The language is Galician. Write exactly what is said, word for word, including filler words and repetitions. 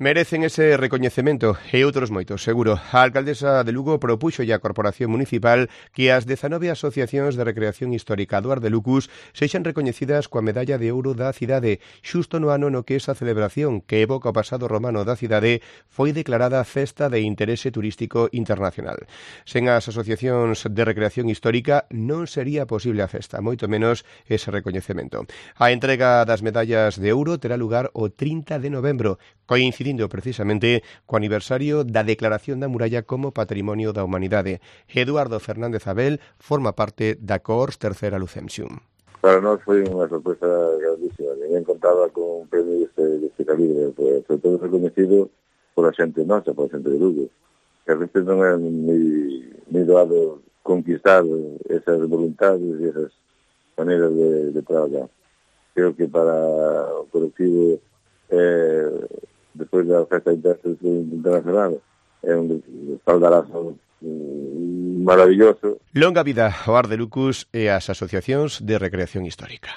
Merecen ese recoñecemento e outros moitos, seguro. A alcaldesa de Lugo propuxo a Corporación Municipal que as dezanove asociacións de recreación histórica do Ar de Lucus sexan recoñecidas coa medalla de ouro da cidade, xusto no ano no que esa celebración, que evoca o pasado romano da cidade, foi declarada Festa de Interese Turístico Internacional. Sen as asociacións de recreación histórica non sería posible a festa, moito menos ese recoñecemento. A entrega das medallas de ouro terá lugar o trinta de novembro, coincidindo precisamente co aniversario da Declaración da Muralla como Patrimonio da Humanidade. Eduardo Fernández Abel forma parte da Coors Tercera Lucemsium. Para nós foi unha sorpresa grandísima. Ninguén contaba con un premio deste, deste calibre, pues, sobre todo reconhecido por a xente nosa, por a xente de Lugo. Que a veces non é ni, ni doado conquistar esas voluntades e esas maneiras de, de trabalhar. Creo que para o colectivo eh, despois da Festa Internacional é un espaldarazo maravilloso. Longa vida ao Ar de Lucus e ás asociacións de recreación histórica.